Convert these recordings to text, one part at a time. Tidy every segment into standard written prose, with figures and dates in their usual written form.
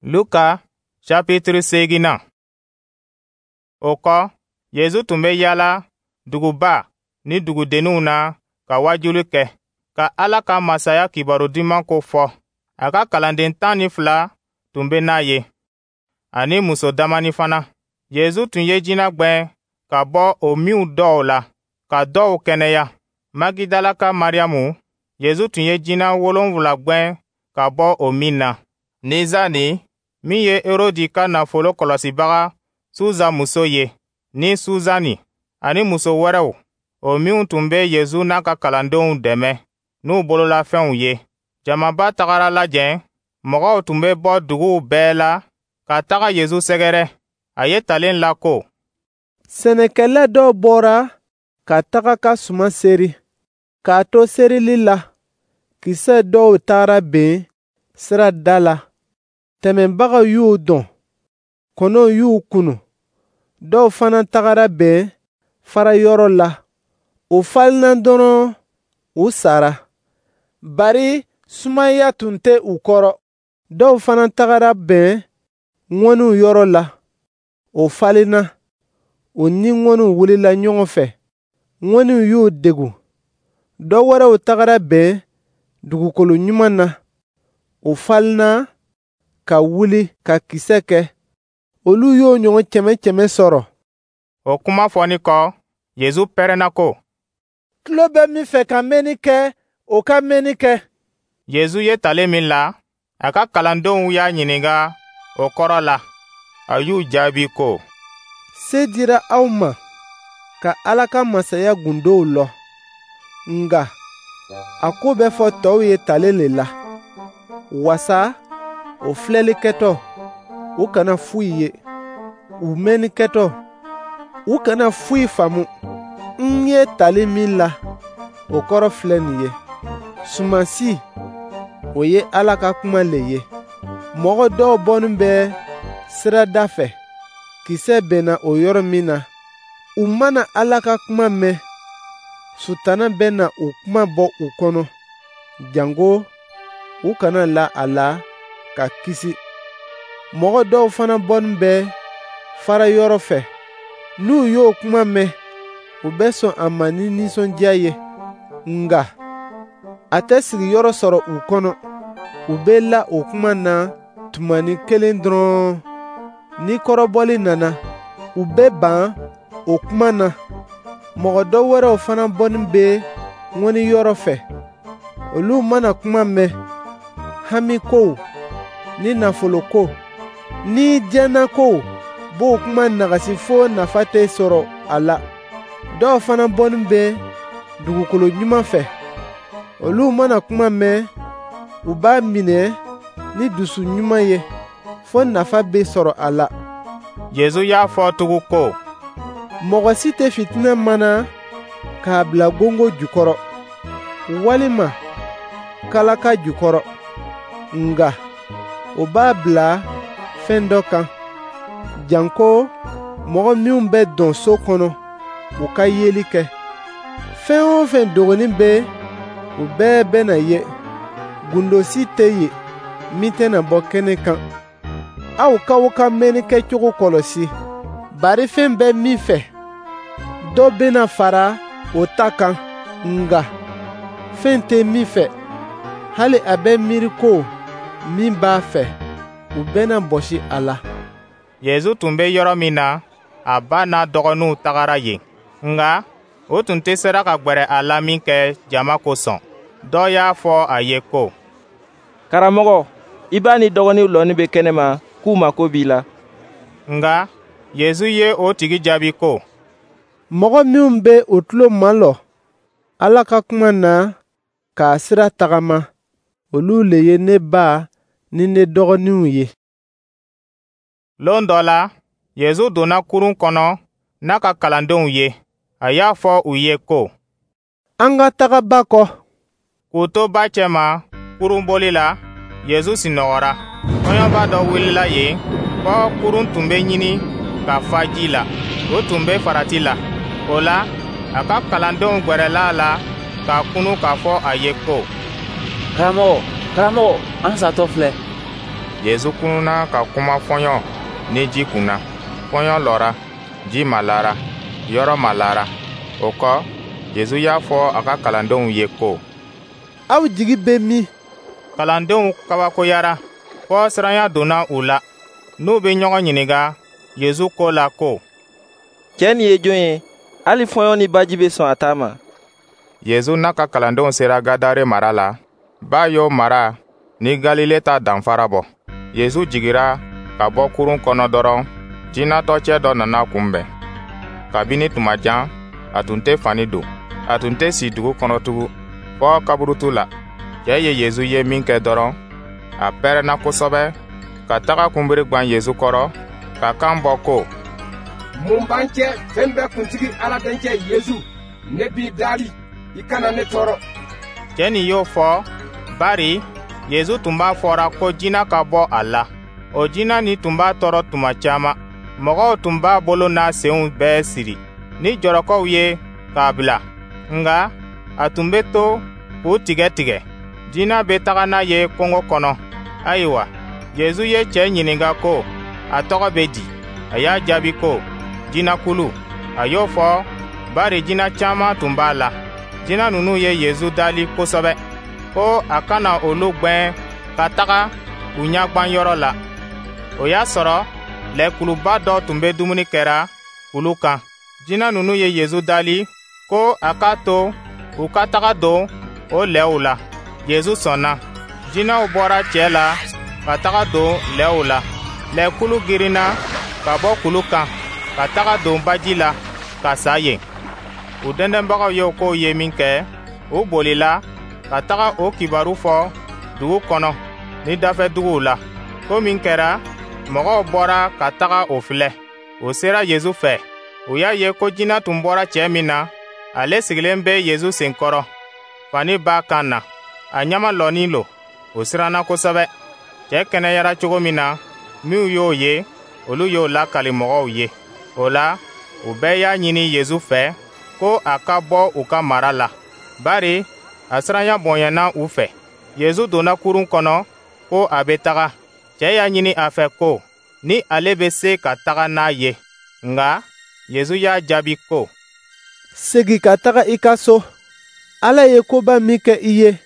Luka chapitre 8nan. O kɔ, Yezu tun bɛ yaala duguba ni dugudenninw na ka wajuli kɛ, ka Ala ka masaya kibaru duman ko fɔ. A ka kalanden 12 tun bɛ n'a ye, ani muso damani fana. Yezu tun ye jinɛ gwɛn ka bɔ o minw dɔw la, ka dɔw kɛnɛya. Magidalaka Mariyamu, Yezu tun ye jinɛ 7 gwɛn ka bɔ o min na, ni Zani min ye Herodi ka nafolo kɔlɔsibaga Suza muso ye, ni Suzani, ani muso wɛrɛw, o minw tun bɛ Yezu n'a ka kalandenw dɛmɛ n'u bololafɛnw ye. Jamaba tagara lajɛ, mɔgɔw tun bɛ bɔ duguw bɛɛ la ka taga Yezu sɛgɛrɛ. A ye talen la ko: Sɛnɛkɛla dɔ bɔra ka taga ka suman seri. K'a to serili la, kisɛ dɔw taara ben sira da la. Tɛmɛbagaw y'u dɔn, kɔnɔw y'u kunu. Dɔw fana tagara bɛn fara yɔrɔ la. U falenna dɔrɔn, u sara, bari sumaya tun tɛ u kɔrɔ. Dɔw fana tagara bɛn ŋɔniw yɔrɔ la. O falenna, u ni ŋɔniw wulila ɲɔgɔn fɛ. Ŋɔniw y'u degun. Dɔ wɛrɛw tagara bɛn dugukolo ɲuman na. O falenna ka wuli ka kisɛ kɛ. Olu y'o ɲɔgɔn 100 sɔrɔ. O kuma fɔni kɔ, Yezu pɛrɛnna ko: Tulo bɛ min fɛ ka mɛnni kɛ, o ka mɛnni kɛ. Yezu ye talen min la, a ka kalandenw y'a ɲininka o kɔrɔ la. A y'u jaabi ko: Se dira aw ma ka Ala ka masaya gundow lɔn, nka a ko bɛ fɔ tɔw ye talen le la, wasa o filɛlikɛtɔ, u kana foyi ye, u mɛnnikɛtɔ, u kana foyi faamu. N ye tali min la, o kɔrɔ filɛ nin ye: Sumansi, o ye Ala ka kuma le ye. Mɔgɔ dɔw bɔnin bɛ sirada fɛ, kisɛ bɛnna o yɔrɔ min na. U mana Ala ka kuma mɛn, Sutana bɛ na o kuma bɔ u kɔnɔ, janko u kana la a la ka kisi. Mɔgɔ dɔw fana bɔnin bɛ fara yɔrɔ fɛ. N'u y'o kuma mɛn, u bɛ sɔn a ma ni nisɔndiya ye, nka a tɛ sigiyɔrɔ sɔrɔ u kɔnɔ. U bɛ la o kuma na tumani kelen dɔrɔn. Ni kɔrɔbɔli nana, u bɛ ban o kuma na. Mɔgɔ dɔ wɛrɛw fana bɔnin bɛ ŋɔni yɔrɔ fɛ. Olu mana kuma mɛn, hamikow ni nafoloko ni diɲɛnakow b'o kuma nagasi fo nafa tɛ sɔrɔ a la. Dɔw fana bɔnin bɛ dugukolo ɲuman fɛ. Olu mana kuma mɛn, u b'a minɛ ni dusu ɲuman ye, fo nafa bɛ sɔrɔ a la. Yezu y'a fɔ tugun ko: Mɔgɔ si tɛ fitinɛ mana k'a bila gongon jukɔrɔ, walima kalaka jukɔrɔ, nka o b'a bila fɛn dɔ kan, janko mɔgɔ minw bɛ dɔn so kɔnɔ, u ka yeli kɛ. Fɛn o fɛn dogonin bɛ, o bɛɛ bɛna ye. Gundo si tɛ yen min tɛna bɔ kɛnɛ kan. Aw k'aw ka mɛnni kɛcogo kɔlɔsi, bari fɛn bɛ min fɛ, dɔ bɛna fara o ta kan, nka fɛn tɛ min fɛ, hali a bɛ miiri ko min b'a fɛ, u bɛna bɔsi a la. Yezu tun bɛ yɔrɔ min na, a ba n'a dɔgɔninw tagara yen. Nka o tun tɛ sera ka gwɛrɛ a la min kɛ jama kosɔn. Dɔ y'a fɔ a ye ko: Karamɔgɔ, i ba ni dɔgɔninw lɔnin bɛ kɛnɛma k'u mako b'i la. Nka Yezu ye o tigi jaabi ko: Mɔgɔ minw bɛ u tulo malɔ Ala ka kuma na k'a sira tagama, olu le ye ne ba ni ne dɔgɔninw ye. Lon dɔ la, Yezu donna kurun kɔnɔ n'a ka kalandenw ye. A y'a fɔ u ye ko: An ka taga ba kɔ. K'u to ba cɛma kurunboli la, Yezu sinɔgɔra. Tɔɲɔba dɔ wulila yen fɔ kurun tun bɛ ɲini ka fa ji la. O tun bɛ farati la. O la, a ka kalandenw gwɛrɛla a la k'a kunu k'a fɔ a ye ko: Karamɔgɔ, karamɔgɔ, an satɔ filɛ. Yezu kununa ka kuma fɔɲɔ ni ji kunna. Fɔɲɔ lɔra, ji malara, yɔrɔ malara. O kɔ, Yezu y'a fɔ a ka kalandenw ye ko: Aw jigi bɛ min? Kalandenw kabakoyara, fɔ siranya donna u la. N'u bɛ ɲɔgɔn ɲininka Yezu ko la ko: Cɛ nin ye jɔn ye? Hali fɔɲɔ ni baji bɛ sɔn a ta ma. Yezu n'a ka kalandenw sera Gadare mara la, ba y'o mara ni Galile ta danfara bɔ. Yezu jigira ka bɔ kurun kɔnɔ dɔrɔn, jinɛtɔcɛ dɔ nana kunbɛn. Kabini tuma jan, a tun tɛ fani don, a tun tɛ si dugu kɔnɔ tugun, fɔ kaburutu la. Cɛ ye Yezu ye min kɛ dɔrɔn, a pɛrɛnna kosɛbɛ ka taga kunbiri gwan Yezu kɔrɔ, ka kan bɔ ko: Mun b'an cɛ fɛn bɛɛ kuntigi Ala denkɛ Yezu, ne b'i dali, i kana ne tɔɔrɔ. Cɛ nin y'o fɔ bari Yezu tun b'a fɔra ko jinɛ ka bɔ a la. O jinɛ nin tun b'a tɔɔrɔ tuma caman. Mɔgɔw tun b'a bolo n'a senw bɛɛ siri ni jɔrɔkɔw ye k'a bila, nka a tun bɛ to k'u tigɛ tigɛ. Jinɛ bɛ taga n'a ye kungo kɔnɔ. Ayiwa, Yezu ye cɛ ɲininka ko a tɔgɔ bɛ di? A y'a jaabi ko jinɛkulu. A y'o fɔ bari jinɛ caman tun b'a la. Jinɛ ninnu ye Yezu dali kosɛbɛ ko a kana olu gwɛn ka taga u ɲagwanyɔrɔ la. O y'a sɔrɔ lɛkuluba dɔ tun bɛ dumuni kɛra kulu kan. Jinɛ ninnu ye Yezu dali ko a k'a to u ka taga don o lɛw la. Yezu sɔnna. Jinɛw bɔra cɛ la ka taga don lɛw la. Lɛkulu girinna ka bɔ kulu kan ka taga don baji la ka sa yen. U dɛndɛnbagaw y'o kow ye min kɛ, u bolila ka taga o kibaru fɔ dugu kɔnɔ ni dafɛduguw la. Ko min kɛra, mɔgɔw bɔra ka taga o filɛ. U sera Yezu fɛ. U y'a ye ko jinɛ tun bɔra cɛ min na, ale sigilen bɛ Yezu sen kɔrɔ, fani b'a kan na, a ɲamalɔnin lo. U siranna kosɛbɛ. Cɛ kɛnɛyara cogo min na, minw y'o ye, olu y'o lakali mɔgɔw ye. O la, u bɛɛ y'a ɲini Yezu fɛ ko a ka bɔ u ka mara la, bari a siranya bonyana u fɛ. Yezu donna kurun kɔnɔ ko a bɛ taga. Cɛ y'a ɲini a fɛ ko ni ale bɛ se ka taga n'a ye. Nka Yezu y'a jaabi ko: Segin ka taga i ka so. Ala ye koba min kɛ i ye,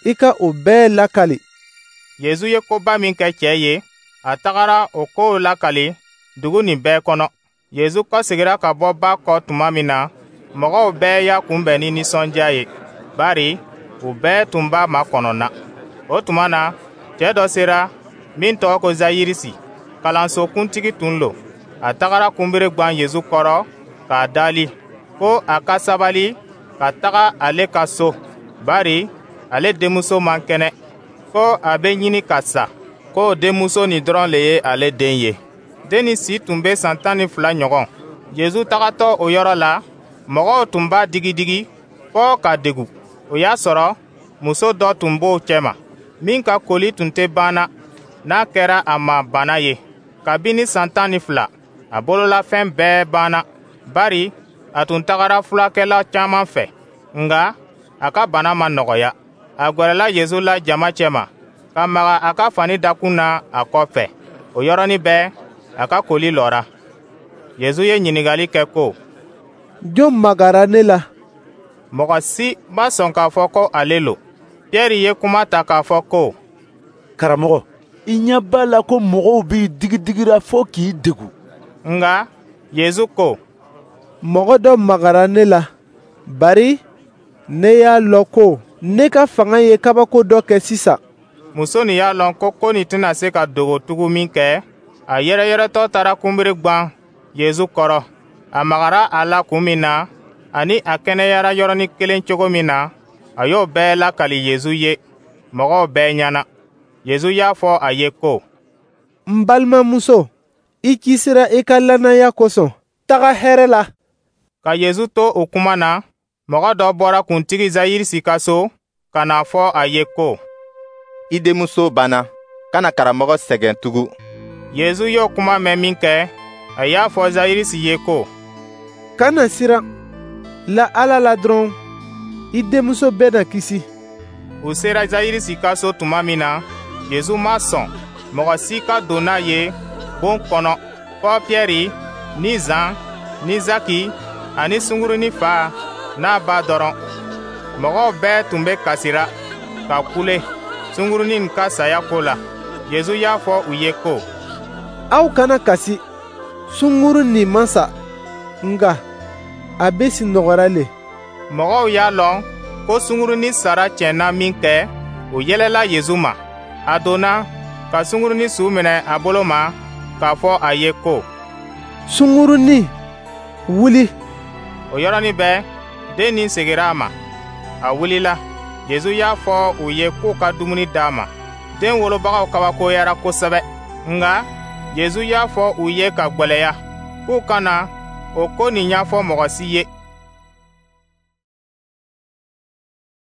i ka o bɛɛ lakali. Yezu ye koba min kɛ cɛ ye, a tagara o kow lakali dugu nin bɛɛ kɔnɔ. Yezu kɔsegira ka bɔ ba kɔ tuma min na, mɔgɔw bɛɛ y'a kunbɛn ni nisɔndiya ye, bari u bɛɛ tun b'a makɔnɔna. O tuma na, cɛ dɔ sera min tɔgɔ ko Zayirisi, kalanso kuntigi tun lo. A tagara kunbiri gwan Yezu kɔrɔ k'a dali ko a ka sabali ka taga ale ka so, bari ale denmuso man kɛnɛ, ko a bɛ ɲini ka sa, k'o denmuso nin dɔrɔn le ye ale den ye. Den nin si tun bɛ san 12 ɲɔgɔn. Yezu tagatɔ o yɔrɔ la, mɔgɔw tun b'a digidigi fɔ ka degu. O y'a sɔrɔ muso dɔ tun b'o cɛma, min ka koli tun tɛ banna, n'a kɛra a ma bana ye. Kabini san 12, a bololafɛn bɛɛ banna, bari a tun tagara furakɛla caman fɛ, nka a ka bana ma nɔgɔya. A gwɛrɛla Yezu la jama cɛma, ka maga a ka fani dakun na a kɔfɛ. O yɔrɔnin bɛɛ, a ka koli lɔra. Yezu ye ɲininkali kɛ ko: Jɔn magara ne la? Mɔgɔ si ma sɔn k'a fɔ ko ale lo. Piyɛri ye kuma ta k'a fɔ ko: Karamɔgɔ, i ɲɛ b'a la ko mɔgɔw b'i digidigira fo k'i degu. Nka Yezu ko: Mɔgɔ dɔ magara ne la, bari ne y'a lɔn ko ne ka fanga ye kabako dɔ kɛ sisan. Muso nin y'a lɔn ko ko nin tɛna se ka dogo tugun min kɛ, a yɛrɛyɛrɛtɔ taara kunbiri gwan Yezu kɔrɔ. A magara a la kun min na, ani a kɛnɛyara yɔrɔnin kelen cogo min na, a y'o bɛɛ lakali Yezu ye mɔgɔw bɛɛ ɲɛna. Yezu y'a fɔ a ye ko: N balimamuso, i kisira i ka lannaya kosɔn. Taga hɛrɛ la. Ka Yezu to o kuma na, mɔgɔ dɔ bɔra kuntigi Zayirisi ka so ka n'a fɔ a ye ko: I denmuso banna, kana karamɔgɔ sɛgɛn tugun. Yezu y'o kuma mɛn min kɛ, a y'a fɔ Zayirisi ye ko: Kana siran, la Ala la dɔrɔn, i denmuso bɛna kisi. U sera Zayirisi ka so tuma min na, Yezu ma sɔn Mɔgɔ si ka don n'a ye bon kɔnɔ, fɔ Piyɛri ni Zan ni Zaki ani sungurunnin fa n'a ba dɔrɔn. Mɔgɔw bɛɛ tun bɛ kasira ka kule sungurunnin ka saya ko la. Yezu y'a fɔ u ye ko: Aw kana kasi, sungurun nin ma sa, nka a bɛ sinɔgɔra le. Mɔgɔw y'a lɔn ko sungurunnin sara tiɲɛ na minkɛ, u yɛlɛla Yezu ma. A donna ka sungurunnin su minɛ a bolo ma k'a fɔ a ye ko: Sungurunnin, wuli. O yɔrɔnin bɛɛ, den nin segira a ma, a wulila. Yezu y'a fɔ u ye k'u ka dumuni d'a ma. Den wolobagaw kabakoyara kosɛbɛ. Nka Yezu y'a fɔ u ye ka gwɛlɛya k'u kana o ko nin ɲɛfɔ mɔgɔ si ye.